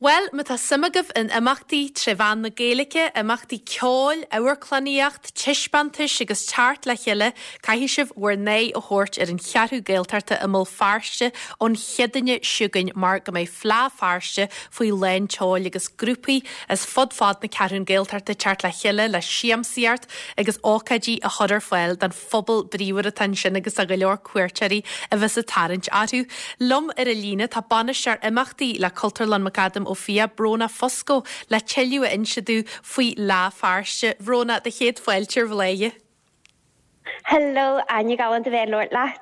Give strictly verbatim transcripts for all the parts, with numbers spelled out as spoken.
Bhuel, má tá suim agaibh in imeachtaí tré mheán na Gaeilge, imeachtaí ceoil, amharclannaíocht, taispeántais agus teacht le chéile, caithfidh sibh bhur n-aghaidh a thabhairt ar an Cheathrú Gaeltachta i mBéal Feirste ón Chéadaoine seo chugainn mar go mbeidh Fleadh Feirste faoi lán tseoil agus grúpaí as fud fad na Ceathrún Gaeltachta teacht le chéile le siamsaíocht agus ócáidí a chur ar fáil don phobal bríomhar atá ansin agus a go leor cuairteoirí a bheas ag tarraingt orthu. Liom ar an líne tá bainisteoir imeachtaí le Cultúrlann McAdam Ó Fiaich Bróna Fusco le tuilleadh a inse dúinn faoi Fhleadh Feirste. Bhróna do chéad fáilte ar Bhladhaire. Hello Áine galánta bheith ag labhairt leat.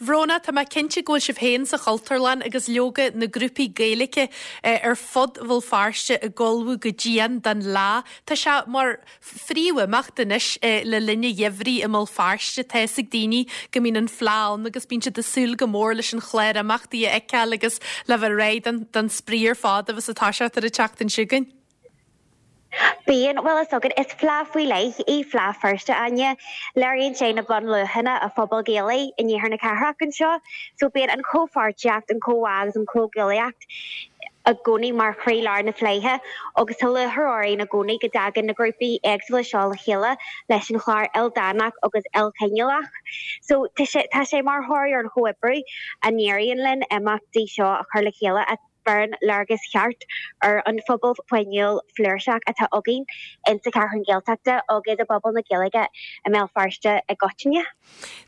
Bhróna tá mé cinnte go bhfuil sibh féin sa Chultúrlann agus leoga na grúpaí Gaeilge eh, ar fud Bhéal Feirste ag ullmhú go dian don lá. Tá sé mar phríomhimeacht anois eh, le linn an gheimhridh i mBéal Feirste tá a fhios ag daoine go mbíonn an fleá ann agus bíonn siad ag súil go mór leis an chlár imeachtaí a fheiceáil agus le bheith réidh don spraoi ar fad agus atá sé tar an tseachtain seo chugainn. Bíonn bhfuil a fhios agat is fleá faoi leith í Fleadh Feirste Áine, léiríonn sé na bunluachanna an phobail Ghaelaigh in iarthar na cathrach anseo, so bíonn an chomhpháirtíocht, an comhbhá agus an chomhghuaillíocht i gcónaí mar chroílár na fleidhe agus tá lúcháir orainn i gcónaí go dtagann na grúpaí éagsúla seo le chéile leis an chlár ildánach agus ilchineálach. So tá sé tá sé mar thoradh ar an chomhoibriú a n-éiríonn linn imeachtaí seo a chur le chéile a bheireann léargas ceart ar an phobal fuinniúil flúirseach atá againn in sa Cheathrú Gaeltachta agus i bpobal na Gaeilge i mBéal Feirste i gcoitinne.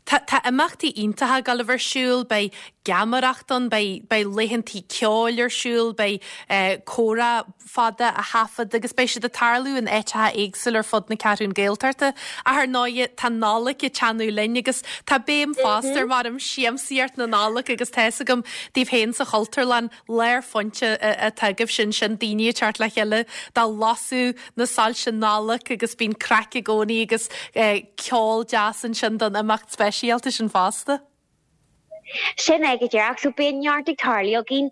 Tá tá imeachtaí iontacha ag gabháil a bheith ar siúl, beidh geamaireacht ann, beidh beidh laethantaí ceoil ar siúl, beidh eh, comhrá fada a thaifead agus beidh siad ag tarlú in áiteacha éagsúla ar fud na Ceathrún Gaeltachta. Ar ndóigh tá Nollaig ag teannadh linn agus tá béim fosta ar mar am siamsaíocht na Nollag agus tá a fhios agam daoibh féin sa Chultúrlann lárphointe atá agaibh sin sin daoine ag teacht le chéile dá lasadh na soilse Nollag agus bíonn craic i gcónaí agus eh, ceol deas ansin don imeacht speisialta sin fosta. Sin é go díreach so bíonn neart ag tarlú againn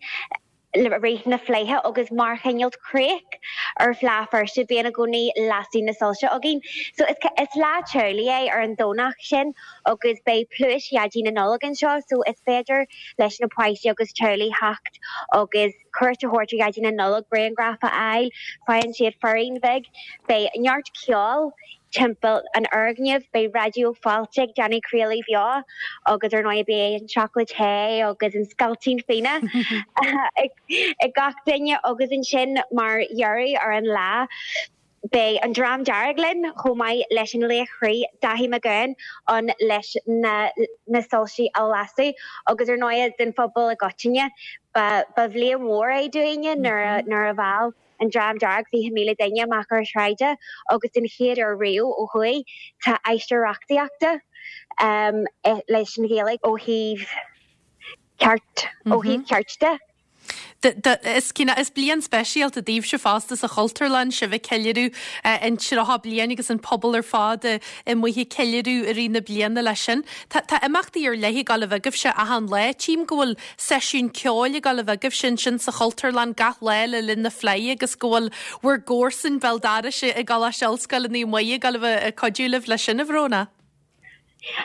le rith na fleidhe agus mar chineál críoch ar Fhleadh Feirste bíonn i gcónaí lasadh na soilse againn. So is, is lá teaghlaigh é ar an Domhnach sin agus beidh pluais Dhaidí na Nollag anseo, so is féidir leis na páistí agus teaghlaigh theacht agus cuairt a thabhairt ar Dhaidí na Nollag grianghraf a fháil, faigheann siad féirín beag, beidh neart ceoil timpeall an fhoirgnimh, beidh Raidió Fáilte ag déanamh craoladh beo agus ar ndóigh beidh an seacláid the agus an scailtín fíona ag ag gach duine agus ansin mar dheireadh ar an lá. Beidh an Dream Dearg linn chomh maith leis an laoch croí Dáithí Mac Gabhann ann leis na na soilsí a lasadh agus ar ndóigh den phobal i gcoitinne ba ba bhliain mhór é dúinne nuair a nuair a mheall an Dream Dearg fiche míle duine amach ar sráide agus den chéad uair riamh ó thuaidh tá aistear reachtaíochta um, leis an Ghaeilge ó thaobh ceart ó thaobh ceart de. Is cine is bliain speisialta daoibhse fosta sa Chultúrlann sibh ag ceiliúradh an tríocha bliain agus an pobal ar fad amuigh ag ceiliúradh i rith na bliana leis sin. Tá tá imeachtaí ar leith ag gabháil a bheith agaibhse achan lá. Tchím go bhfuil seisiún ceoil ag gabháil a bheith agaibhse ansin sa Chultúrlann gach lá le linn na fleidhe agus go bhfuil bhur gcomharsain béal dorais i gColáiste Ollscoile Naomh Muire ag gabháil a bheith ag cuidiú libh leis sin a Bhróna.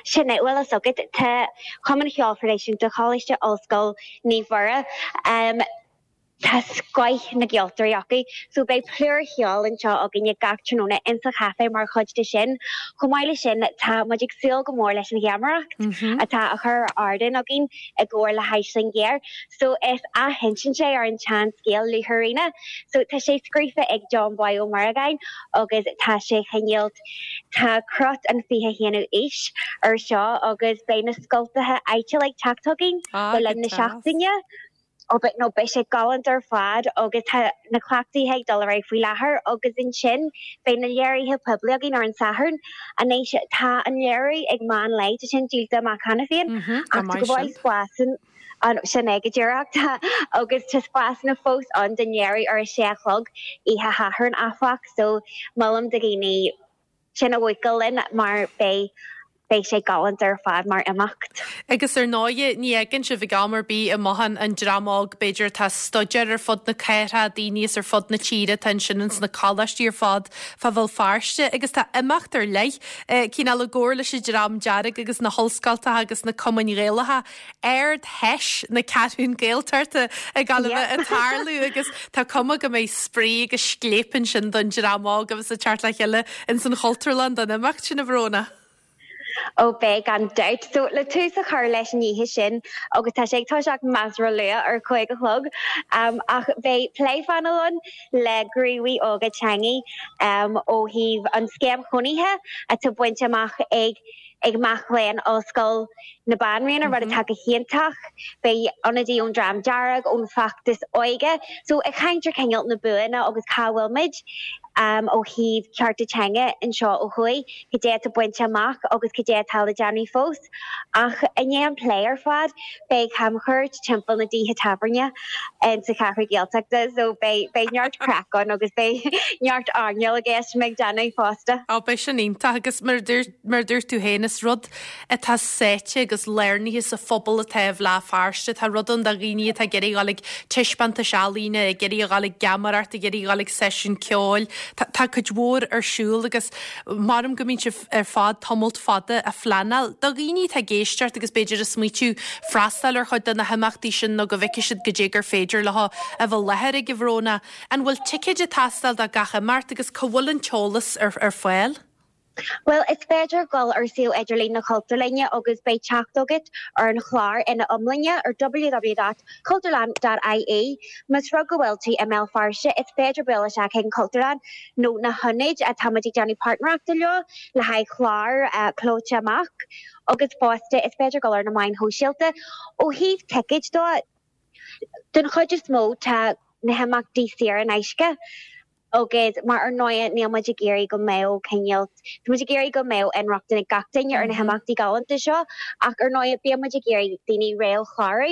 Sin é bhfuil a fhios agat tá Cumann Cheoil Thraidisiúnta Choláiste Ollscoil Naomh Muire um, Tá scoth na gceoltóirí acu, so beidh plúr cheoil anseo againne gach tráthnóna insa chaifé mar chuid de sin. Chomh maith leis sin tá muid ag súil go mór leis an gheamaireacht atá á chur ar ardán againn i gcomhar le hAisling Ghéar. So is athinsint é ar an tseanscéal Luaithríona. So tá sé scríofa ag John Boy Ó Muireagáin agus tá sé chineál tá crot an fiche haonú aois ar seo agus beidh na scoltaithe áitiúla ag teacht chugainn Ah, le go linn na deas. seachtaine. Ó be nó beidh sé galánta ar fad agus tá na cleachtaithe ag dul ar aghaidh faoi láthair agus ansin beidh na léirithe poiblí againn ar an Satharn. Anois tá an léiriú ag meán lae tá sin díolta amach cheana féin Mhm, go ach tá maith go bhfuil sin. spásan an sin é go díreach agus tá spásanna fós ann don léiriú ar a sé a chlog oíche Shathairn áfach so molaim do dhaoine sin a bhuacaill linn mar beidh beidh sé galánta ar fad mar imeacht. Agus ar ndóigh ní fhágann sibh ag am ar bith amach an dream óg b'fhéidir atá ag staidéar ar fud na cathrach, daoine as ar fud na tíre atá ansin ins na coláistí ar fad fá Bhéal Feirste agus tá imeacht ar leith cineál i gcomhar leis an Dream Dearg agus na hollscoltacha agus na cumainn Ghaelacha Ard-Fheis na Ceathrún Gaeltachta ag gabháil a bheith ag tarlú agus tá cuma go mbeidh spraoi agus scléip ansin don dream óg agus ag teacht le chéile ins an Chultúrlann don imeacht sin a Bhróna. Ó beidh gan dabht so le tús a chur leis an oíche sin agus tá sé ag toiseacht measartha luath ar cúig a chlog um, ach beidh plé phainéil ann le gníomhaithe óga teanga um, ó thaobh an scéim chónaithe atá bainte amach ag ag mic léinn Ollscoil na Banríona mm -hmm. rud atá go hiontach, beidh ionadaí ón Dream Dearg ón bhfeachtas óige, so ag caint ar cineál na buanna agus cá bhfuil muid um, ó thaobh cearta teanga anseo ó thuaidh, cad é atá bainte amach agus cad é atá le déanamh fós. Ach i ndiaidh an plé ar fad beidh camchuairt timpeall na dtithe tábhairne sa Cheathrú Gaeltachta, so beidh beidh neart craic ann agus beidh neart airneáil i gceist mé ag déanamh fosta. Á beidh sin iontach agus mar mar dúirt tú féin is rud atá sáite agus lárnaithe sa phobal atá i mBéal Feirste, tá rud ann do dhaoine atá ag iarraidh dul ag taispeántais ealaíne, ag iarraidh dul ag geamaireacht, ag iarraidh dul ag seisiún ceoil. Tá cuid mhór ar siúl agus maram go mbíonn sibh ar fad tamalt fada ag pleanáil. Do dhaoine atá ag éisteacht agus b'fhéidir ag smaoitiú freastal ar chuid de na himeachtaí sin nó go bhfeicfidh siad cad é gur féidir leo a bheith i láthair ag a Bhróna. An bhfuil ticéid ag teastáil do gach imeacht agus cá bhfuil an t-eolas ar, ar fáil? Well, is féidir dul ar suíomh idirlín na Cultúrlainne agus beidh teacht agat ar an chlár ina iomláine ar www.cultúrlann.ie. Más rud go bhfuil tú i mBéal Feirste, is féidir bualadh isteach chuig an Cultúrlann nó na hionaid atáimid ag déanamh páirtnéireachta leo le haghaidh clár uh, clóite amach agus fosta is féidir dul ar na meáin shóisialta ó thaobh ticéid dó den chuid is mó tá na himeachtaí saor in aisce. agus mar ar ndóigh níl muid ag iarraidh go mbeadh cineál Tá muid ag iarraidh go mbeadh inrochtana ag gach duine ar na himeachtaí galánta seo ach ar ndóigh bíonn muid ag iarraidh daoine réamhchlárú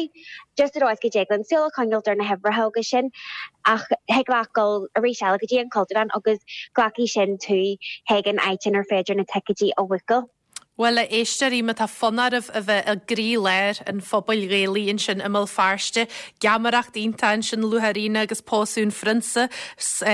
just ar go dtig linn súil a choinneáil ar na huimhreacha agus sin ach thig leat dul arís eile go dtí an Cultúrlann agus glacfaidh sin tú chuig an áit inar féidir na ticéidí a bhuacáil. Bhuel a éisteoirí má tá fonn oraibh a bheith i gcroílár an phobail Ghaelaigh ansin i mBéal Feirste, geamaireacht iontach ansin luath ar agus pósadh an phrionsa,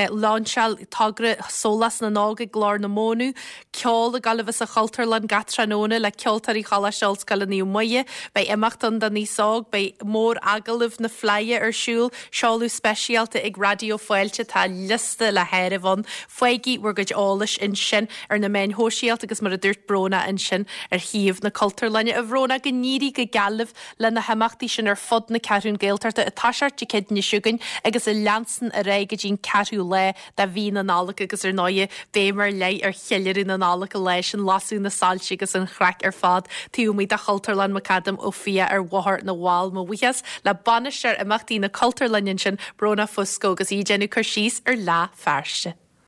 lainseáil togra Sólás na nÓg ag Glór na Móna, ceol ag gabháil a bheith sa Chultúrlann gach tráthnóna le ceoltóirí Choláiste Ollscoile Naomh Muire, beidh imeacht ann don aos óg, beidh mór-agallamh na Fleidhe ar siúl, seoladh speisialta ag Raidió Fáilte tá liosta le háireamh ann. Faighigí bhur gcuid eolais ansin ar na meáin shóisialta agus mar a dúirt Bróna ansin sin ar shuíomh na Cultúrlainne. A Bhróna go n-éirí go geal libh le na himeachtaí sin ar fud na Ceathrún Gaeltachta ag toiseacht Dé Céadaoine seo chugainn agus a leanann ar aghaidh go dtí'n ceathrú lá de mhí na Nollag agus ar ndóigh béim ar leith ar cheiliúradh na Nollag leis an lasadh na soilse agus an chraic ar fad taobh amuigh de Chultúrlann McAdam Ó Fiaich ar Bhóthar na bhFál. Mo bhuíochas le bainisteoir imeachtaí na Cultúrlainne sin Bróna Fusco agus í ag déanamh cur síos ar Fhleadh Feirste.